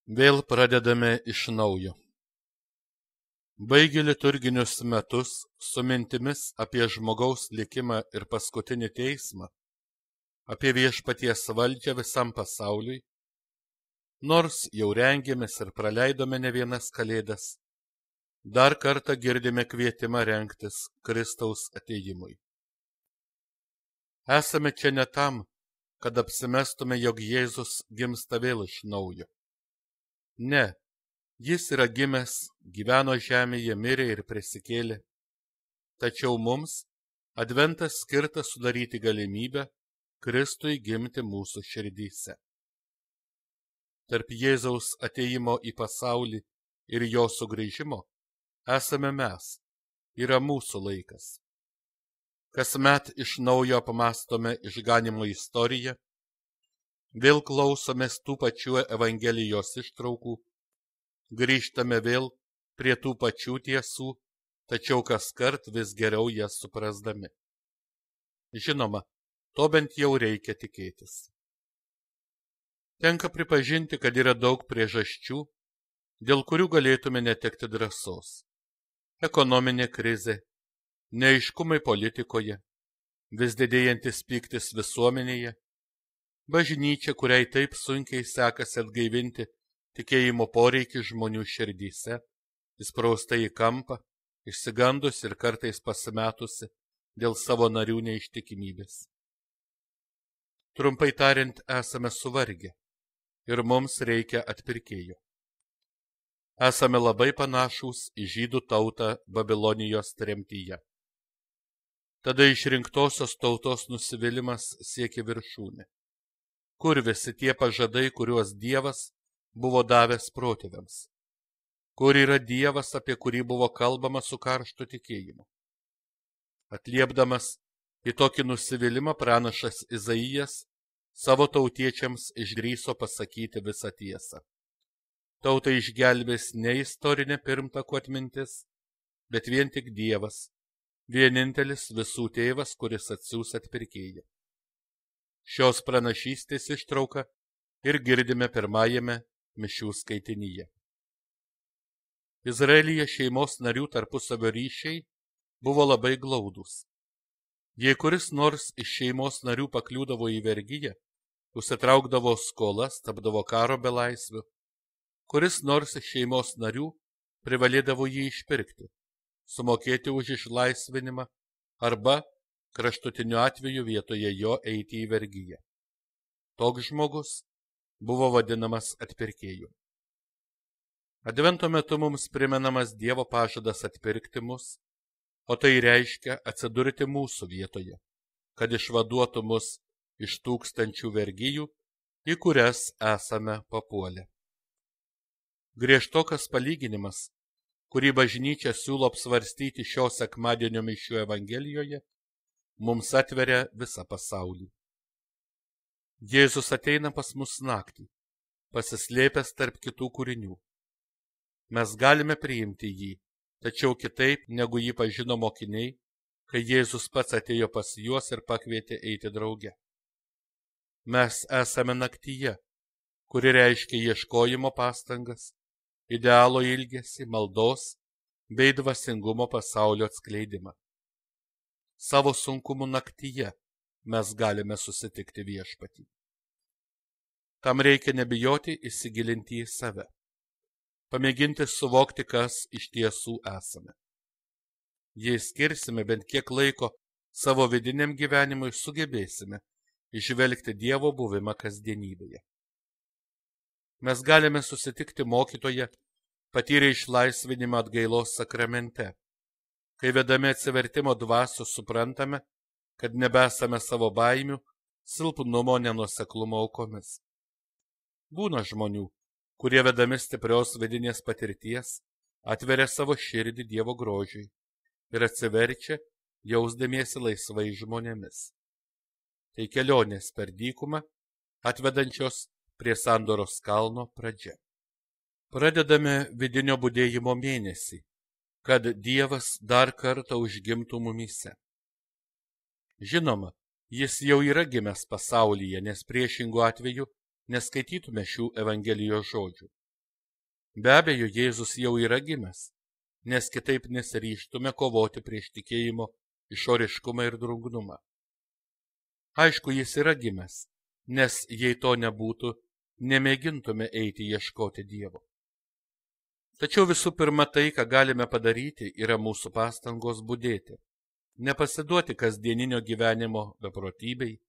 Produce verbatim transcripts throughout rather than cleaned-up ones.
Vėl pradedame iš naujo. Baigė liturginius metus su mintimis apie žmogaus likimą ir paskutinį teismą, apie viešpaties valdžią visam pasauliui, nors jau rengėmės ir praleidome ne vienas kalėdas, dar kartą girdime kvietimą rengtis Kristaus atėjimui. Esame čia ne tam, kad apsimestume, jog Jėzus gimsta vėl iš naujo. Ne, jis yra gimęs, gyveno žemėje, mirė ir prisikėlė. Tačiau mums adventas skirtas sudaryti galimybę Kristui gimti mūsų širdyse. Tarp Jėzaus atėjimo į pasaulį ir jo sugrįžimo esame mes, yra mūsų laikas. Kasmet iš naujo apmąstome išganymo istoriją, vėl klausomės tų pačių Evangelijos ištraukų, grįžtame vėl prie tų pačių tiesų, tačiau kaskart vis geriau jas suprasdami. Žinoma, to bent jau reikia tikėtis. Tenka pripažinti, kad yra daug priežasčių, dėl kurių galėtume netekti drąsos. Ekonominė krizė, neaiškumai politikoje, vis didėjantis pyktis visuomenėje, bažnyčia, kuriai taip sunkiai sekasi atgaivinti tikėjimo poreikį žmonių širdyse, įsprausta į kampą, išsigandus ir kartais pasimetusi dėl savo narių neištikimybės. Trumpai tariant, esame suvargę ir mums reikia atpirkėjo. Esame labai panašūs į žydų tautą Babilonijos tremtyje. Tada išrinktosios tautos nusivylimas siekia viršūnę. Kur visi tie pažadai, kuriuos Dievas buvo davęs protėviams? Kur yra Dievas, apie kurį buvo kalbama su karštu tikėjimu? Atliepdamas į tokį nusivylimą, pranašas Izaijas savo tautiečiams išdrįso pasakyti visą tiesą. Tautai išgelbės ne istorinė pirmtakų atmintis, bet vien tik Dievas, vienintelis visų tėvas, kuris atsiųs atpirkėją. Šios pranašystės ištrauką ir girdime pirmajame mišių skaitinyje. Izraelyje šeimos narių tarpusavio ryšiai buvo labai glaudūs. Jei kuris nors iš šeimos narių pakliūdavo į vergiją, užsitraukdavo skolas, tapdavo karo belaisviu, kuris nors iš šeimos narių privalėdavo jį išpirkti, sumokėti už išlaisvinimą arba kraštutiniu atveju vietoje jo eiti į vergiją. Toks žmogus buvo vadinamas atpirkėju. Advento metu mums primenamas Dievo pažadas atpirkti mus, o tai reiškia atsidurti mūsų vietoje, kad išvaduotų mus iš tūkstančių vergijų, į kurias esame papuolę. Griežtokas palyginimas, kurį bažnyčia siūlo apsvarstyti šio sekmadienio mišių Evangelijoje, mums atveria visą pasaulį. Jėzus ateina pas mus naktį, pasislėpęs tarp kitų kūrinių. Mes galime priimti jį, tačiau kitaip, negu jį pažino mokiniai, kai Jėzus pats atėjo pas juos ir pakvietė eiti drauge. Mes esame naktyje, kuri reiškia ieškojimo pastangas, idealo ilgesį, maldos bei dvasingumo pasaulio atskleidimą. Savo sunkumų naktyje mes galime susitikti viešpatį. Tam reikia nebijoti įsigilinti į save, pamėginti suvokti, kas iš tiesų esame. Jei skirsime bent kiek laiko savo vidiniam gyvenimui, sugebėsime įžvelgti Dievo buvimą kasdienybėje. Mes galime susitikti mokytoje, patyrę išlaisvinimą atgailos sakramente, kai vedami atsivertimo dvasios suprantame, kad nebesame savo baimių, silpnumo, nenuoseklumo aukomis. Būna žmonių, kurie vedami stiprios vidinės patirties atveria savo širdį Dievo grožiui ir atsiverčia, jausdamiesi laisvai žmonėmis. Tai kelionės per dykumą, atvedančios prie sandoros kalno pradžia. Pradedame vidinio budėjimo mėnesį, kad Dievas dar kartą užgimtų mumyse. Žinoma, jis jau yra gimęs pasaulyje, nes priešingų atveju neskaitytume šių Evangelijos žodžių. Be abejo, Jėzus jau yra gimęs, nes kitaip nesiryžtume kovoti prieš tikėjimo išoriškumą ir drungnumą. Aišku, jis yra gimęs, nes jei to nebūtų, nemėgintume eiti ieškoti Dievo. Tačiau visų pirma tai, ką galime padaryti, yra mūsų pastangos budėti, nepasiduoti kasdieninio gyvenimo beprotybei,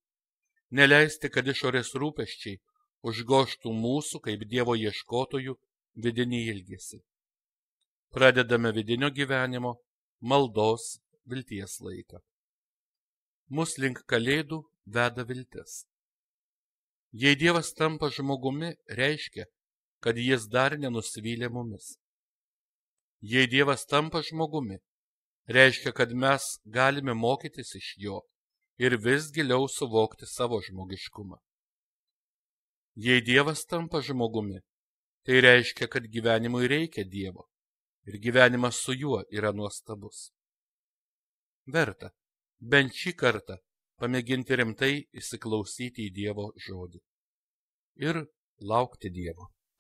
neleisti, kad išorės rūpesčiai užgoštų mūsų kaip Dievo ieškotojų vidinį ilgesį. Pradedame vidinio gyvenimo, maldos, vilties laiką. Mus link kalėdų veda viltis. Jei Dievas tampa žmogumi, reiškia, kad jis dar nenusivylė mumis. Jei Dievas tampa žmogumi, reiškia, kad mes galime mokytis iš jo ir vis giliau suvokti savo žmogiškumą. Jei Dievas tampa žmogumi, tai reiškia, kad gyvenimui reikia Dievo ir gyvenimas su juo yra nuostabus. Verta bent šį kartą pamėginti rimtai įsiklausyti į Dievo žodį ir laukti Dievo.